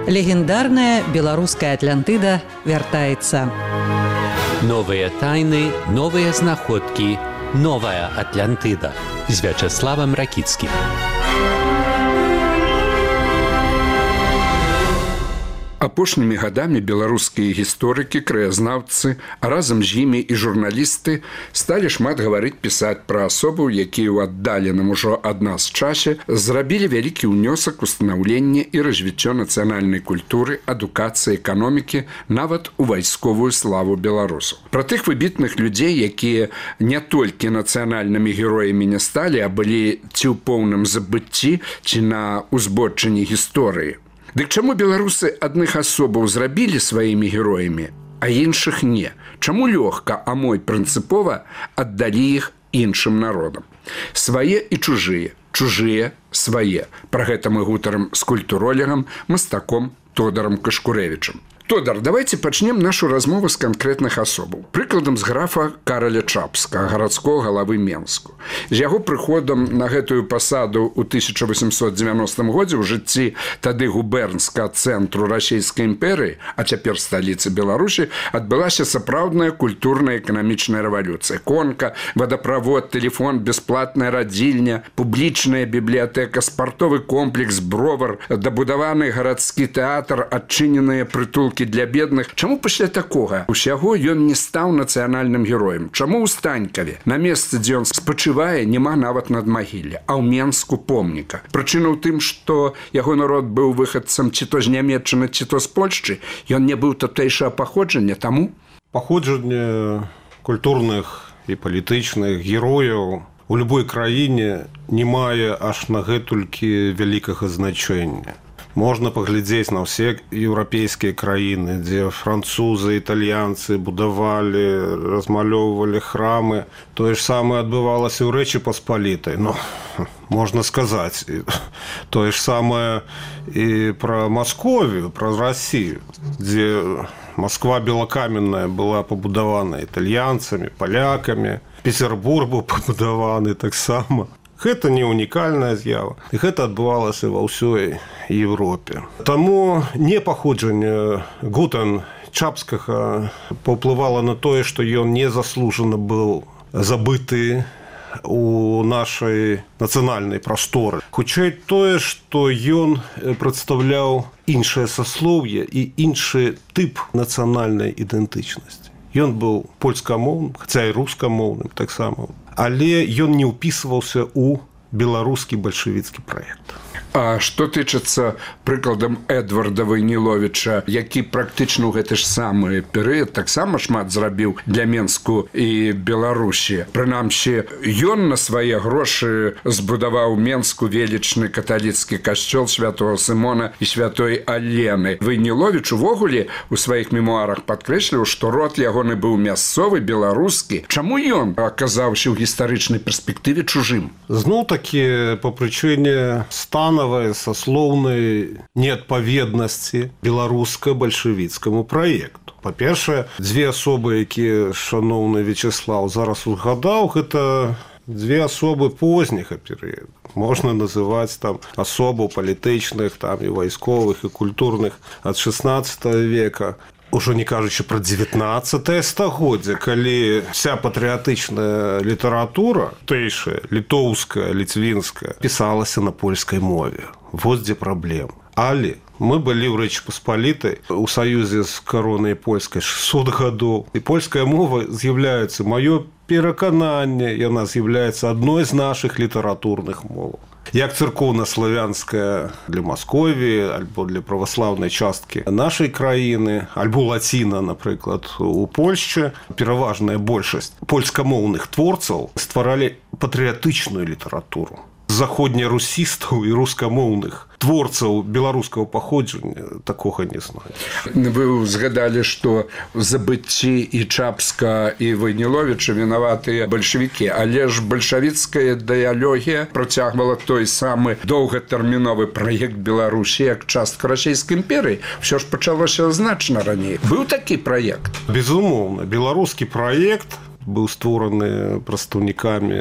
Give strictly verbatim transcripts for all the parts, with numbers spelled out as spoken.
Легендарная беларуская Атлантыда вяртаецца. Новыя тайны, новыя знаходкі, новая Атлантыда з Вячеславам Ракіцкім. Апошнімі гадамі беларускія гісторыкі, краязнаўцы, а разам з імі і журналісты сталі шмат гаварыць, пісаць пра асобаў, якія ў аддаленым ужо ад нас часе зрабілі вялікі ўнёсак у станаўленне і развіццё нацыянальнай культуры, адукацыі, эканомікі, нават у вайсковую славу беларусаў. Пра тых выбітных людзей, якія не толькі нацыянальнымі героямі не сталі, а былі ці ў поўным забыцці, ці на узбочыне гісторыі. Дык чаму беларусы адных асобаў зрабілі сваімі героямі, а іншых не? Чаму лёгка, а мо прынцыпова аддалі іх іншым народам? Свае і чужыя, чужыя свае. Пра гэта мы гутарым з культуролегам, мастаком Тодарам Кашкурэвічам. Тодар, давайте пачнем нашу размову з канкрэтных асобаў. Прыкладам з графа Караля Чапскага, гарадскога галавы Менску. З яго прыходам на гэтую пасаду ў тысяча восемьсот девяностым годзе ў жыцці тады губернскага цэнтру Расійскай імперыі, а цяпер сталіцы Беларусі, адбылася сапраўдная культурная эканамічная рэвалюцыя. Конка, вадаправод, тэлефон, бясплатная радзільня, публічная бібліятэка, спартовы комплекс, бровар, дабудаваны гарадскі тэатр, адчыненыя прытулкі для бедных. Чаму пасля такога усяго ён не стаў нацыянальным героем? Чаму ў Станькаве на месцы, дзе ён спачывае, няма нават надмагілля, а ў Менску помніка? Прычына ў тым, што яго народ быў выхадцам ці то з Нямецчыны, ці то з Польшчы, ён не быў тутэйшага паходжання, таму паходжанне культурных і палітычных герояў у любой краіне не мае аж на гэтулькі вялікага значэння. Можна паглядзець на ўсе еўрапейскія краіны, дзе французы, італьянцы будавалі, размалёўвалі храмы. Тое ж самае адбывалася ў Рэчы Паспалітай. Ну, можна сказаць, тое ж самае і пра Масковію, пра Расію, дзе Москва белакаменная была пабудавана італьянцамі, палякамі, Петербург быў пабудаваны таксама. Гэта не унікальная з'ява, і гэта адбывалася ва ўсёй Европе. Таму не паходжанне Гутан Чапскага паўплывала на тое, што ён незаслужана быў забыты у нашай нацыянальнай прасторы. Хутчэй тое, што ён прадстаўляў іншае саслоўе і іншы тып нацыянальнай ідэнтычнасці. Ён быў польскамоўным, хаця і рускамоўным таксама. Але ён не ўпісваўся ў беларускі бальшавіцкі праект. А што тычыцца прыкладам Эдварда Вайніловіча, які практычна ў гэты ж самы перыяд таксама шмат зрабіў для Менску і Беларусі. Прынамсі, ён на свае грошы збудаваў Менску велічны каталіцкі касцёл святого Сымона і святой Алены. Вайніловіч увогуле у сваіх мемуарах падкрэсліў, што род ягоны быў мясцовы, беларускі. Чаму ён аказаўся ў гістарычнай перспектыве чужым? Зноў-такі па прычыне стану саслоўнай неадпаведнасці беларуска-бальшавіцкаму праекту. Па-першае, дзве асобы, якія шаноўны Вячеслаў зараз узгадаў, гэта дзве асобы позняга перыяду. Можна называць там асобаў палітычных, там і вайсковых, і культурных ад шаснаццатага века. Ужо не кажучы пра дзевятнаццатае стагоддзе, калі вся патрыятычная літаратура, тэйшая, літоўская, ліцвінская, пісалася на польскай мове. Вот дзе праблема. Але мы былі ў Рэчы Паспалітай у саюзе з каронай польскай шэсцьсот гадоў. І польская мова з'яўляецца, маё перакананне, яна з'яўляецца адной з нашых літаратурных моваў. Як царкоўна-славянская для Масковіі, альбо для праваслаўнай часткі нашай краіны, альбо лаціна, напрыклад, у Польшчы, пераважная большасць польскамоўных творцаў стваралі патрыятычную літаратуру. Заходнерусістаў і рускамоўных творцаў беларускага паходжання такога не знаю. Вы згадалі, што в забыцці і Чапска, і Вайніловіча вінаватыя бальшавікі, але ж бальшавіцкая ідэалогія працягвала той самы доўгатэрміновы праект Беларусі як частка Расійскай імперыі. Усё ж пачалося значна раней. Быў такі праект? Безумоўна, беларускі праект быў створаны прадстаўнікамі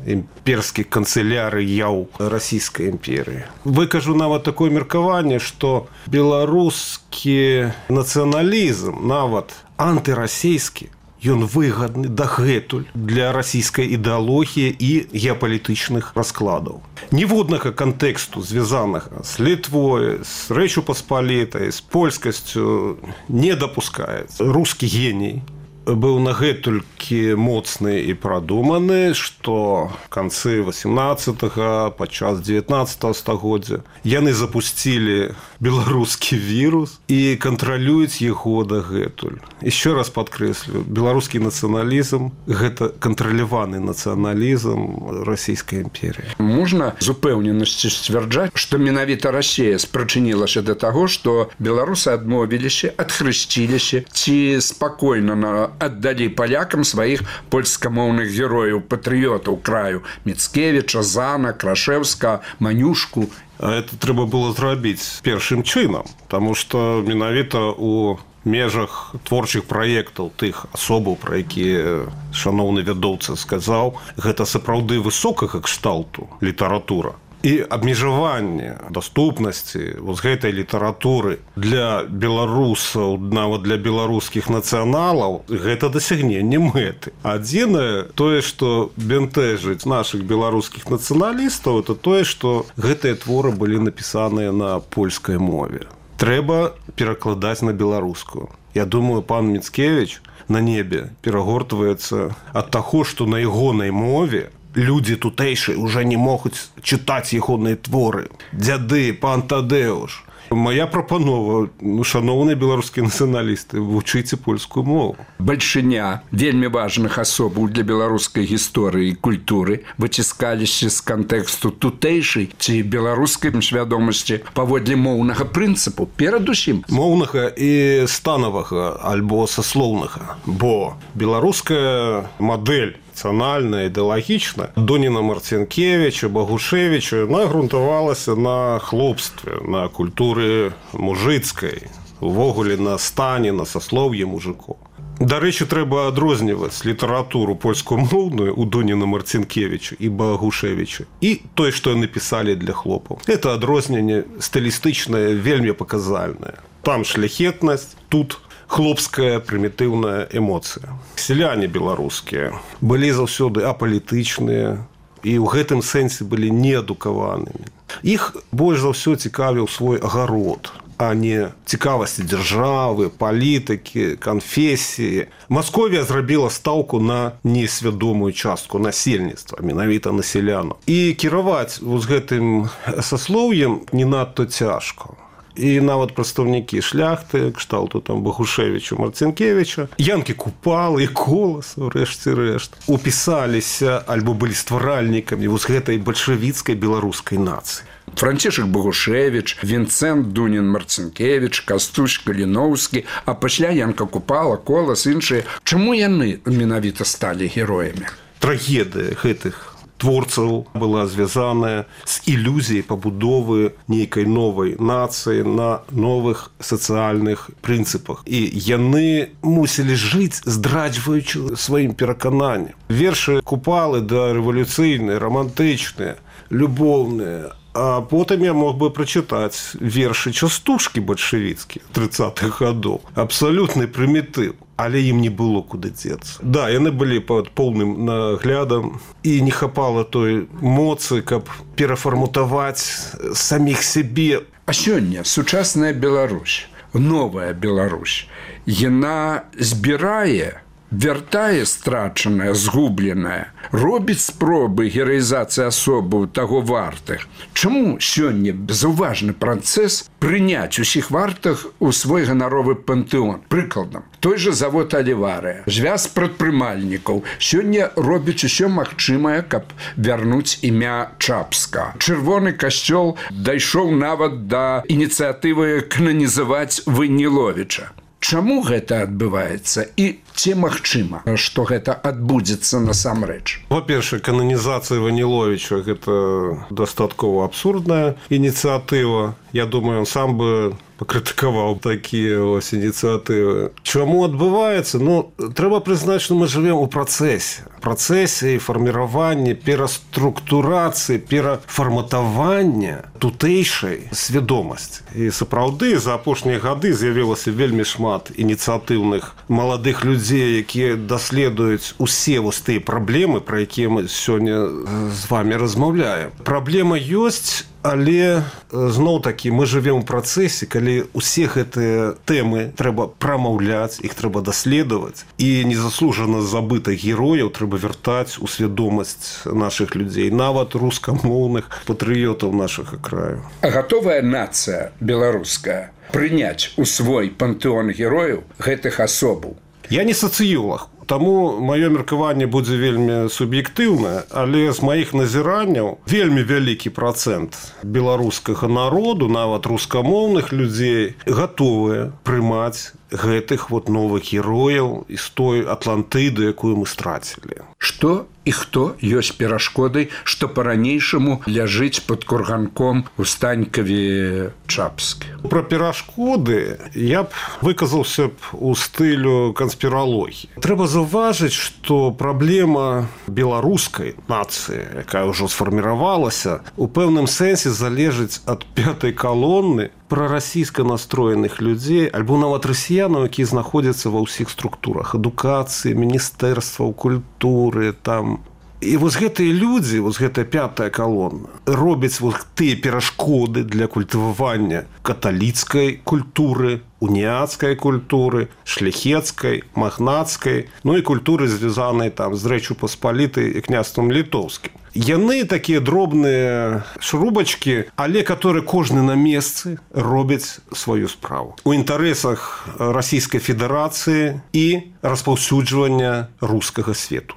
імперскіх канцылярыяў расійскай імперыі. Выкажу нават такое меркаванне, што беларускі нацыяналізм, нават антырасійскі, ён выгадны дагэтуль для расійскай ідэалогіі і геапалітычных раскладаў. Ніводнага кантэксту, звязанага з Літвой, з Рэчу Паспалітай, з польскасцю не дапускаецца. Рускі геній быў нагэтулькі моцны і прадуманы, што в канцы васемнаццатага, падчас дзевятнаццатага стагоддзя яны запусцілі беларускі вірус і кантралююць яго дагэтуль. Еще раз падкрэслю, беларускі нацыяналізм – гэта кантраляваны нацыяналізм расійскай імперіі. Можна з упэўненасцю сцвярджаць, што менавіта Расія спрычынілася да таго, што беларусы адмовіліся, адхрысціліся ці спакойна на аддалі палякам сваіх польскамоўных герояў, патрыётаў краю Міцкевіча, Зана, Крашэўска, Манюшку. А это трэба было зрабіць першым чынам, таму што менавіта у межах творчых праектаў тых асобаў, пра якія шаноўны вядоўца сказаў, гэта сапраўды высокага кшталту літаратура. І абмежаванне даступнасці вось гэтай літаратуры для беларусаў, нават для беларускіх нацыяналаў, гэта дасягненне мэты. Адзінае тое, што бянтэжыць нашых беларускіх нацыяналістаў, это тое, што гэтыя творы былі напісаныя на польскай мове. Трэба перакладаць на беларускую. Я думаю, пан Міцкевіч на небе перагортваецца ад таго, што на ягонай мове людзі тутэйшыя ўжо не могуць чытаць ягоныя творы. Дзяды, пан Тадэуш. Моя прапанова, ну, шаноўныя беларускія нацыяналісты, вучыце польскую мову. Бальшыня вельмі важных асобаў для беларускай гісторыі і культуры выціскаліся з кантэксту тутэйшай ці беларускай свядомасці паводле моўнага прынцыпу, перадусім. Моўнага і станавага альбо саслоўнага, бо беларуская мадэль нацыянальная, ідэалагічная Доніна Марцінкевіча, Багушевіча нагрунтавалася на хлопстве, на культуры мужыцкай, увогуле на стане, на саслоўі мужикоў. Дарэчы, трэба адрозніваць літаратуру польскамоўную у Доніна Марцінкевіча і Багушевіча і тое, што яны пісалі для хлопаў. Это адрозненне стылістычнае, вельмі паказальнае. Там шляхетнасць, тут хлопская прымітыўная эмоцыя. Сяляне беларускія былі заўсёды апалітычныя і ў гэтым сэнсе былі неадукаванымі. Іх больш за ўсё цікавіў свой агарод, а не цікавасці дзяржавы, палітыкі, канфесіі. Масковія зрабіла стаўку на несвядомую частку насельніцтва, менавіта на сялянаў. І кіраваць вось гэтым саслоўем не надта цяжка. І нават прадстаўнікі шляхты, кшталту там Багушевіча, Марцінкевіча, Янкі Купалы і Коласа, рэшце рэшт, упісаліся альбо былі стваральнікамі вось гэтай бальшавіцкай беларускай нацыі. Францішак Багушевіч, Вінцэнт Дунін Марцінкевіч, Кастусь Каліноўскі, а пасля Янка Купала, Колас, іншыя. Чаму яны менавіта сталі героямі? Трагедыя гэтых творцаў была звязаная з ілюзіяй пабудовы нейкай новай нацыі на новых сацыяльных прынцыпах. І яны мусілі жыць, здраджваючы сваім перакананням. Вершы Купалы дарэвалюцыйныя, рамантычныя, любоўныя. А потым я мог бы прачытаць вершы частушкі бальшавіцкія трыццатых гадоў. Абсалютны прымітыў. Але ім не было куды дзецца. Да, яны былі пад поўным наглядам і не хапала той моцы, каб перафарматаваць саміх сябе. А сёння сучасная Беларусь, новая Беларусь, яна збірае, вяртае страчанае, згубленае, робіць спробы гераізацыі асобаў таго вартых. Чаму сёння безуважны працэс прыняць усіх вартых у свой ганаровы пантэон? Прыкладам, той жа завод Аліварыя, звяз прадпрымальнікаў сёння робіць усё магчымае, каб вярнуць імя Чапска. Чырвоны касцёл дайшоў нават да ініцыятывы кананізаваць Выніловіча. Чаму гэта адбываецца і ці магчыма, што гэта адбудзецца насамрэч? Па-першае, кананізацыя Ваніловіча – гэта дастаткова абсурдная ініцыятыва. Я думаю, он сам бы пакрытыкаваў такія ось ініцыятывы. Чаму адбываецца? Ну, трэба прызнаць, што мы жывем у працэсе. Працэсе фарміравання, пераструктурацыі, перафарматавання тутэйшай свядомасці. І сапраўды за апошнія гады з'явілася вельмі шмат ініцыятыўных маладых людзей, якія даследуюць усе вось тыя праблемы, пра якія мы сёння з вамі размаўляем. Праблема ёсць, але зноў-такі мы жывем у працэсе, калі усе гэтыя тэмы трэба прамаўляць, іх трэба даследаваць, і незаслужана забытых герояў трэба вяртаць у свядомасць нашых людзей, нават рускамоўных патрыётаў нашага краю. А гатовая нацыя беларуская прыняць у свой пантэон герояў гэтых асобаў? Я не сацыёлаг, таму маё меркаванне будзе вельмі суб'ектыўнае, але з маіх назіранняў вельмі вялікі працэнт беларускага народу, нават рускамоўных людзей, гатовыя прымаць гэтых вот новых герояў з той Атлантыды, якую мы страцілі. Што і хто ёсць перашкодай, што па-ранейшаму ляжыць пад курганком у Станькаве Чапскі? Пра перашкоды я б выказаўся б у стылю канспіралогіі. Трэба заўважыць, што праблема беларускай нацыі, якая ўжо сфарміравалася, у пэўным сэнсе залежыць ад пятай калоны прарасійска настроеных людзей, альбо нават расіянаў, якія знаходзяцца ва ўсіх структурах адукацыі, міністэрстваў, культуры, там. І вось гэтыя людзі, вось гэтая пятая калона, робяць вось тыя перашкоды для культывавання каталіцкай культуры, уніяцкай культуры, шляхецкай, магнацкай, ну і культуры, звязанай там з Рэччу Паспалітай і княствам літоўскім. Яны такія дробныя шрубачкі, але которые кожны на месцы робяць сваю справу. У інтарэсах Расійскай Федэрацыі і распаўсюджвання рускага свету.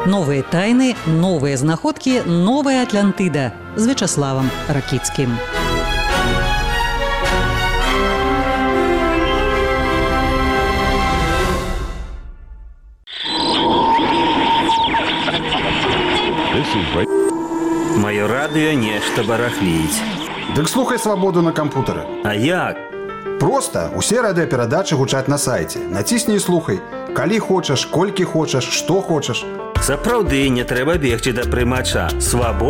Новыя тайны, новыя знаходкі, новая Атлантыда з Вячаславам Ракіцкім. Маё радыё нешта барахліць. Дык слухай свабоду на кампутары. А як? Проста усе радыёперадачы гучаць на сайце. Націсні і слухай. Калі хочаш, колькі хочаш, што хочаш. Сапраўды не трэба бегчы да прымача. Свабода.